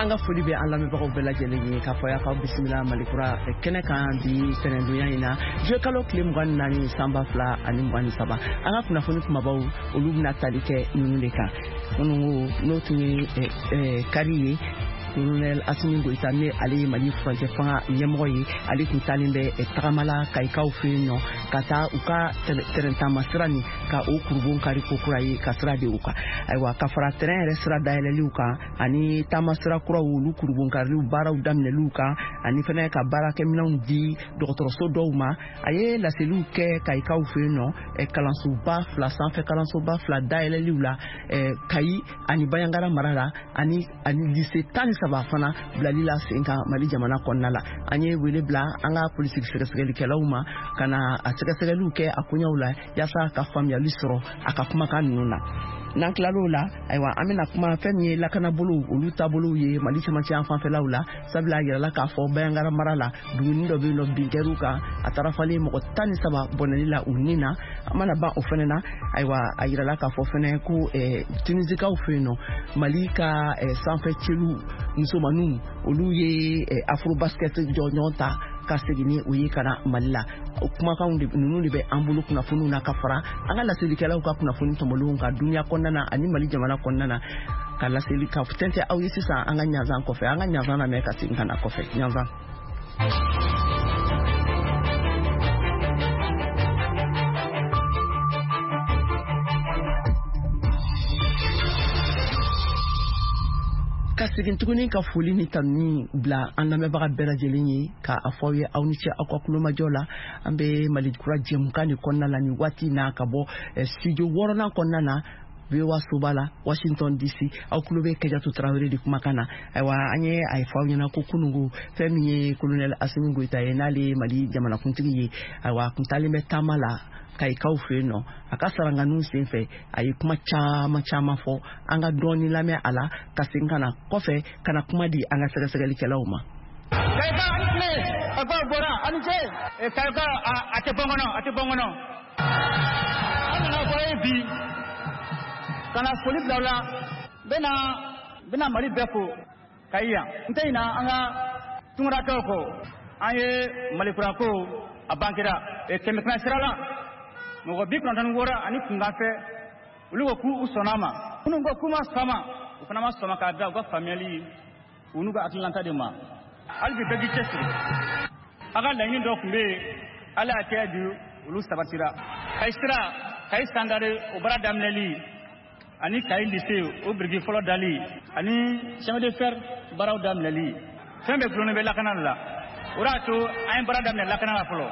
An ka foli bɛ an lamɛnbagaw bɛɛ lajɛlen ye k'a fɔ y'aw bisimila Malikura kɛnɛ kan bi tɛnɛndonya in na, juillet kalo tile 24 san 2023. An ka kunnafoni kumabaw, olu bɛna tali kɛ ninnu de kan. Minnu ko n'o tun ye kari ye, Colonel Assimi Goïta, ne ale ye Mali furancɛ fanga ɲɛmɔgɔ ye, ale tun taalen bɛ tagama la Kayikaw fɛ yen nɔ, ka taa u ka tɛrɛn taama sira nin ka o kurubon kari ko kura ye, ka sira di u kan. Ayiwa, ka fara tɛrɛn yɛrɛ sira dayɛlɛliw kan ani taama sira kuraw, olu kurubon kariliw baaraw daminɛliw kan, ani fɛnɛ ka baarakɛminɛnw di dɔgɔtɔrɔso dɔw ma, a ye laseliw kɛ Kayikaw fɛ yen nɔ, kalansoba fila, sanfɛ kalansoba fila dayɛlɛliw la Kayi ani Bandiagara mara la, ani lycée 13 fana bilali la sen kan Mali jamana kɔnɔna la. An ye wele bila an ka polisi sɛgɛsɛgɛlikɛlaw ma ka na a sɛgɛsɛgɛliw kɛ a koɲɛw la, yaasa ka faamuyali sɔrɔ a ka kumakan ninnu na. N'an tilal'o la, ayiwa, an bɛna kuma fɛn min ye lakanabolow, olu taabolow ye Mali cɛmancɛ yan fanfɛlaw la, sabula a yirala k'a fɔ Bandiagara mara la, duguni dɔ bɛ yen nɔ, bin kɛr'u kan, a taara falen mɔgɔ 13 bɔnɛli la u ni na. An mana ban o fɛnɛ na, ayiwa, a yirala k'a fɔ fɛnɛ ko Tunisikaw fɛ yen nɔ, Mali ka sanfɛ celu musomaninw, olu ye Afrobasket jɔnjɔn ta ka segin ni o ye ka na Mali la. O kumakanw de ninnu de bɛ an bolo kunnafoniw na, ka fara an ka laselikɛlaw ka kunnafoni tɔmɔlenw kan duniya kɔnɔna na ani Mali jamana kɔnɔna na, ka laseli ka tɛntɛ aw ye sisan an ka ɲanzan kɔfɛ. An ka ɲanzan lamɛn ka segin ka na kɔfɛ ɲanzan. Ka segin tuguni ka foli ni tanuni bila an lamɛnbaga bɛɛ lajɛlen ye, ka a fɔ aw ye aw ni ce aw ka kulomajɔ la. An bɛ Mali kura jɛmukan de kɔnɔna la nin waati na, ka bɔ studio wɔɔrɔnan kɔnɔna na, VOA soba la, Washington DC. Aw tulo bɛ Kajatu Tarawele de kumakan na. Ayiwa, an ye a fɔ aw ɲɛna ko kununko, fɛn min ye Colonel Assimi Goïta ye, n'ale ye Mali jamanakuntigi ye, ayiwa, a kun taalen bɛ taama la Kayikaw fɛ yen nɔ. A ka saranganiw sen fɛ, a ye kuma caman caman fɔ. An ka dɔɔni lamɛn a la, ka segin ka na kɔfɛ ka na kuma di an ka sɛgɛsɛgɛlikɛlaw ma. Kayika, ani tile! Kayikaw bɔra, ani ce! Kayika, a tɛ bɔ n kɔnɔ, a tɛ bɔ n kɔnɔ. An nana fɔ ye bi ka na foli bila aw la. N bɛna Mali bɛɛ fo Kayi yan. N tɛ ɲinɛ an ka tunkarakɛw kɔ. An ye Malikura ko a bankera 100 sira la, mɔgɔ 96 ani kunkanfɛ, olu ko k'u sɔnna a ma. Minnu ko k'u ma sɔn a ma, u fana ma sɔn ma k'a da u ka faamuyali u n'u ka hakilinata de ma. Hali bi, bɛɛ k'i cɛsiri. A ka laɲini dɔ tun bɛ yen, Ala y'a kɛ bi olu sabatira. Kayi sira, Kayi Sangare, o baara daminɛli, ani Kayi lycée, o biriki fɔlɔ dali, ani chemin de fer baaraw daminɛli, fɛn bɛɛ gulonnen bɛ lakana la. O de y'a to an ye baara daminɛ lakana la fɔlɔ.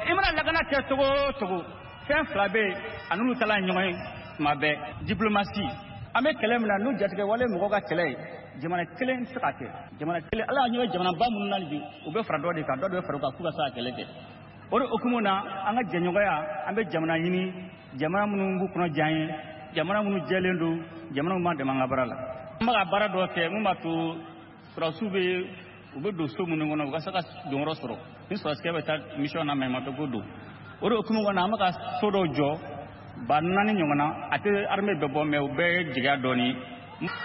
I mana lakana kɛ cogo o cogo, fɛn fila bɛ yen, a n'olu taala ɲɔgɔn ye tuma bɛɛ: diplomatie. An bɛ kɛlɛ min na, n'u jatigɛ wale mɔgɔw ka kɛlɛ ye, jamana kelen tɛ se ka kɛ. Jamana kelen, Ala y'a ɲɛ jamanaba minnu na bi, u bɛ fara dɔ de kan, dɔ de bɛ fara u kan k'u ka se ka kɛlɛ kɛ. O de hukumu na, an ka jɛɲɔgɔnya, an bɛ jamana ɲini, jamana minnu b'u kɔnɔ diya ye, jamana minnu jɛlen don, jamana minnu b'an dɛmɛ an ka baara la. An bɛ ka baara dɔ kɛ mun b'a to sɔrɔdasiw bɛ u bɛ don so minnu kɔnɔ, u ka se ka donyɔrɔ sɔrɔ ni sɔrɔdasikɛ bɛ taa mission na, maɲumantɔ ko don. O de hukumu kɔnɔ, an bɛ ka so dɔw jɔ 4000 ɲɔgɔn na. A tɛ armée bɛɛ bɔ, mais u bɛɛ ye jigiya dɔɔni.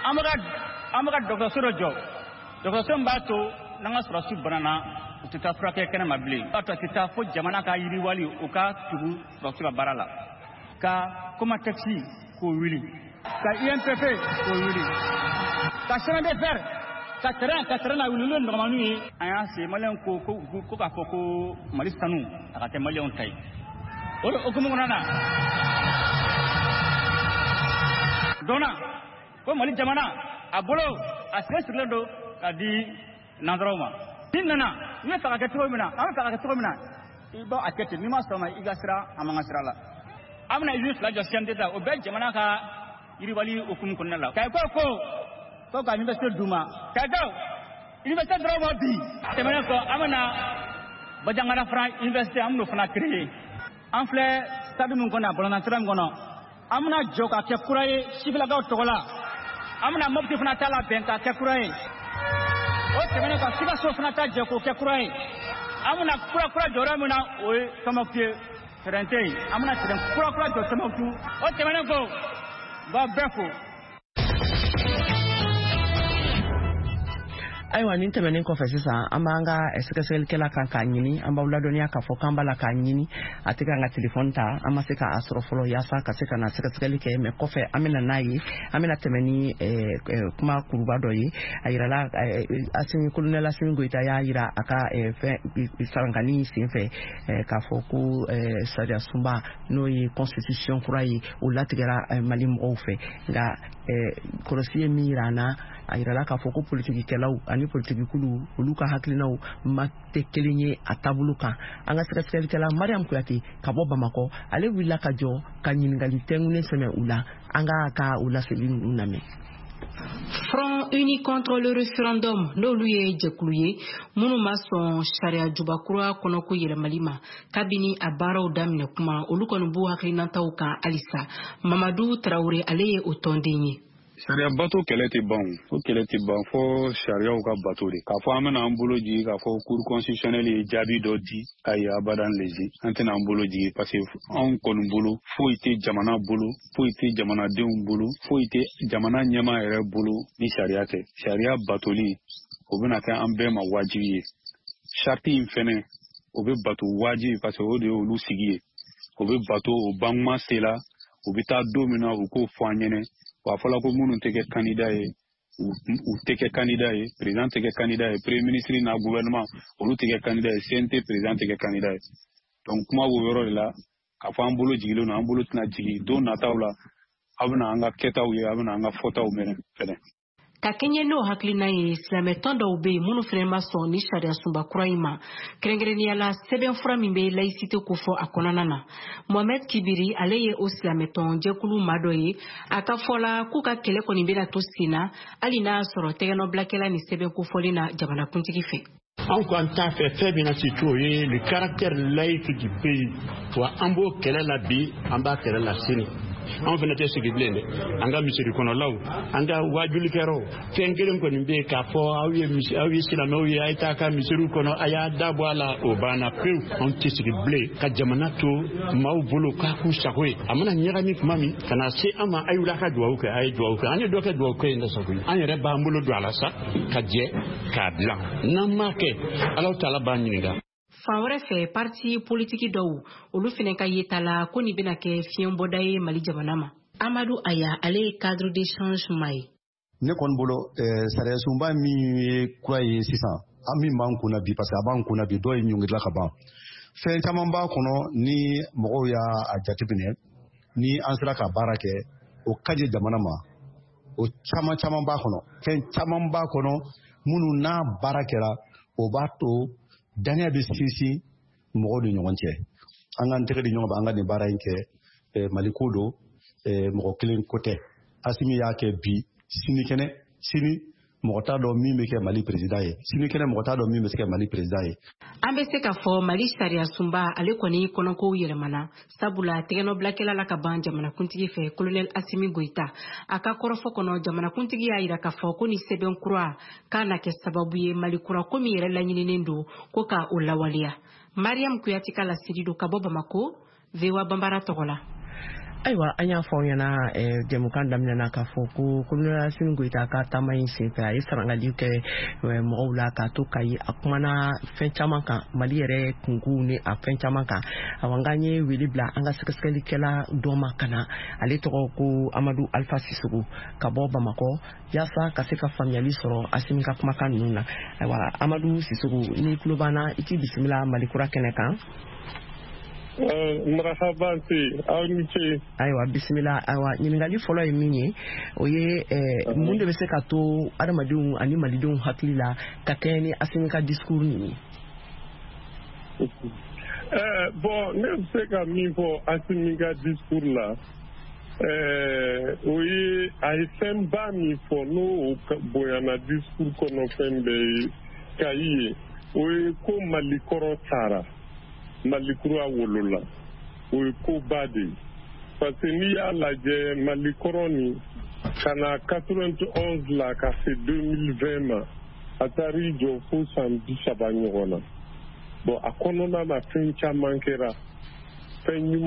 An bɛ ka dɔgɔtɔrɔso dɔ jɔ, dɔgɔtɔrɔso min b'a to n'an ka sɔrɔdasiw banana, u tɛ taa furakɛ kɛnɛ ma bilen. O b'a to a tɛ taa fo jamana ka yiriwali, u ka tugu sɔrɔdasiw ka baara la. Ka Comatex k'o wuli, ka UMPP k'o wuli, ka chemin de fer, ka train na wuli, olu ye nɔgɔmaniw ye. An y'a se Maliyɛnw ko ko k'a fɔ ko Mali sanu, a ka kɛ Maliyɛnw ta ye. O de hukumu kɔnɔna na dɔnna ko Mali jamana a bolo a sen sirilen don ka di nansaraw ma. N'i nana, n'i bɛ fɛ ka kɛ cogo min na, an bɛ fɛ ka kɛ cogo min na, i b'a a kɛ ten. N'i ma sɔn ma, i ka sira, an b'an ka sira la. An bɛna usine fila jɔ CMDT la, o bɛɛ jamana ka yiriwali hukumu kɔnɔna la. Kayikaw ko ka université d'u ma. Kayikaw, université dɔrɔn ma bi tɛmɛnen kɔ, an bɛna Bandiagara fana université, an bɛn'o fana créer. An filɛ stade min kɔnɔ, balontan terrain min kɔnɔ, an bɛna jɔ ka kɛ kura ye sifilakaw tɔgɔ la. An bɛna Mopti fana ta labɛn k'a kɛ kura ye. O tɛmɛnen kɔ, Sikaso fana ta jɔ k'o kɛ kura ye. An bɛna kura kura jɔ yɔrɔ min na, o ye Tɔnbɔkutu ye. Terrain tɛ yen, an bɛna terrain kura kura jɔ Tɔnbɔkutu. O tɛmɛnen kɔ, n b'aw bɛɛ fo. Ayiwa, nin tɛmɛnen kɔfɛ, sisan an b'an ka sɛgɛsɛgɛlikɛla kan k'a ɲini. An b'aw ladɔnniya k'a fɔ k'an b'a la k'a ɲini, a tɛ k'an ka telefɔni ta. An ma se k'a sɔrɔ fɔlɔ yaasa ka se ka na sɛgɛsɛgɛli kɛ, mɛ kɔfɛ an bɛna n'a ye. An bɛna tɛmɛ ni kuma kuruba dɔ ye. A yirala Asimi, colonel Asimi Goyita y'a yira a ka fɛn sarankani sen fɛ k'a fɔ ko sariya sunba, n'o ye constitution kura ye, o latigɛra Mali mɔgɔw fɛ. Nka kɔlɔsi ye min yira an na, a yirala k'a fɔ ko politikikɛlaw ani politikikulu, olu ka hakilinaw ma tɛ kelen ye a taabolo kan. An ka sɛgɛsɛgɛlikɛla Mariam Kuyate ka bɔ Bamakɔ, ale wulila ka jɔ ka ɲininkali tɛnkunnen sɛmɛ u la. An ka o laseli ninnu lamɛn. Front uni contre le référendum, n'olu ye jɛkulu ye minnu ma sɔn sariya juba kura kɔnɔko yɛlɛmali ma kabini a baaraw daminɛ kuma, olu kɔni b'u hakilinataw kan halisa. Mamadu Tarawele, ale ye o tɔnden ye. Sariya bato kɛlɛ tɛ ban, o kɛlɛ tɛ ban fɔ sariyaw ka bato de. K'a fɔ an bɛna an bolo jigi k'a fɔ Cour constitutionnelle ye jaabi dɔ di, ayi, abadan lezi, an tɛna an bolo jigi, parce que anw kɔni bolo, foyi tɛ jamana bolo, foyi tɛ jamanadenw bolo, foyi tɛ jamana ɲɛmaa yɛrɛ bolo ni sariya tɛ. Sariya batoli, o bɛna kɛ an bɛɛ ma wajibi ye. Charte in fɛnɛ, o bɛ bato wajibi, parce que o de ye olu sigi ye. O bɛ bato, o bankuma sela, u bɛ taa don min na, u k'o fɔ an ɲɛnɛ. Wa a fɔla ko minnu tɛ kɛ candidat ye, u tɛ kɛ candidat ye, président tɛ kɛ candidat ye, premier ministre n'a gouvernement, olu tɛ kɛ candidat ye, CNT président tɛ kɛ candidat ye. Donc kuma b'o yɔrɔ de la. K'a fɔ an bolo jigilen don, an bolo tɛna jigin. Don nataw la, aw bɛna an ka kɛtaw ye, aw bɛna an ka fɔtaw mɛn fɛnɛ. Ka kɛɲɛ n'o hakilina ye, silamɛtɔn dɔw be yen minnu fɛnɛ ma sɔn ni sariya sunba kura in ma, kɛrɛnkɛrɛnnenya la sɛbɛnfura min be laïcité kofɔ a kɔnɔna na. Mohamɛd Kibiri, ale ye o silamɛtɔn jɛkulu ma dɔ ye. A ka fɔ la k'u ka kɛlɛ kɔni bena to sen na, hali n'a sɔrɔ tɛgɛnɔbilakɛla ni sɛbɛn kofɔlen na jamanakuntigi fɛ. Anw ko an t'a fɛ fɛn min na surtout, o ye le caractère laïque du pays. Wa an b'o kɛlɛ la bi, an b'a kɛlɛ la sini. Anw fana tɛ sigi bilen dɛ. An ka misiri kɔnɔlaw, an ka wajulikɛyɔrɔw, fɛn kelen kɔni bɛ yen k'a fɔ aw ye, aw ye silamɛw ye, a ye taa ka misiriw kɔnɔ, a y'a da bɔ a la, o banna pewu. Anw tɛ sigi bilen ka jamana to maaw bolo k'a k'u sago ye. A mana ɲagami tuma min ka na se an ma, a ye wuli a ka duwawu kɛ, a ye duwawu kɛ, an ye dɔ kɛ duwawu kɛ in na sa koyi. An yɛrɛ b'an bolo don a la sa ka jɛ k'a dilan. N'an m'a kɛ, Alahu Taala b'an ɲininka. Fan wɛrɛ fɛ, parti politiki dɔw, olu fɛnɛ ka yeta la ko nin bɛna kɛ fiɲɛbɔda ye Mali jamana ma. Amadu Aya, ale ye Cadre d'échange ma ye. Ne kɔni bolo, sariya sunba min ye kura ye sisan, an min b'an kunna bi, parce que a b'an kunna bi, dɔw ye ɲɔngirila ka ban. Fɛn caman b'a kɔnɔ ni mɔgɔw y'a jateminɛ, ni an sera ka baara kɛ, o ka di jamana ma. O caman caman b'a kɔnɔ, fɛn caman b'a kɔnɔ minnu n'a baara kɛra, o b'a to danaya bɛ sinsin mɔgɔw ni ɲɔgɔn cɛ. An k'an tɛgɛ di ɲɔgɔn ma, an ka nin baara in kɛ. Mali ko don, mɔgɔ kelen ko tɛ. Asimi y'a kɛ bi, sinikɛnɛ, sini mɔgɔ t'a dɔn min bɛ kɛ Mali président ye, sinikɛnɛ mɔgɔ t'a dɔn min bɛ se kɛ Mali président ye. An bɛ se k'a fɔ Mali sariya sunba, ale kɔni kɔnɔkow yɛlɛmana, sabula tɛgɛnɔbilakɛla la ka ban jamanakuntigi fɛ, colonel Asimi Goyita. A ka kɔrɔfɔ kɔnɔ, jamanakuntigi y'a yira k'a fɔ ko ni sɛbɛn kura k'a na kɛ sababu ye Mali kura ko min yɛrɛ laɲininen don, ko ka o lawaleya. Mariam Kuyate ka laseli don ka bɔ Bamako, VOA Banbara tɔgɔ la. Ayiwa, an y'a fɔ aw ɲɛna jɛmukan daminɛna k'a fɔ ko colonel Asimi Goyita ka taama in senfɛ, a ye sarangali kɛ mɔgɔw la k'a to Kayi. A kumana fɛn caman kan, Mali yɛrɛ kunkow ni a fɛn caman kan. Awa, n ye wele bila an ka sɛgɛsɛgɛlikɛla dɔ ma ka na, ale tɔgɔ ko Amadu Alpha Sisogo ka bɔ Bamakɔ, yaasa ka se ka faamuyali sɔrɔ Asimi ka kumakan ninnu na. Ayiwa, Amadu Sisogo, ni tulo b'an na, i k'i bisimila Mali kura kɛnɛ kan. Marahaba, se aw ni ce. Ayiwa, bisimila. Ayiwa, ɲininkali fɔlɔ ye min ye, o ye mun de bɛ se ka to adamadenw ani malidenw hakili la ka kɛɲɛ ni Asimi ka discours nin ye? Bon, ne bɛ se ka min fɔ Asimi ka discours la, o ye a ye fɛnba min fɔ, n'o bonyana discours kɔnɔ fɛn bɛɛ ye Kayi ye, o ye ko Mali kɔrɔ taara, Mali kura wolola. O ye koba de ye, parce que n'i y'a lajɛ, Mali kɔrɔ nin ka na 91 la ka se 2020 ma, a taar'i jɔ fo san 30 ɲɔgɔn na. Bon, a kɔnɔna na, fɛn caman kɛra, fɛn ɲuman.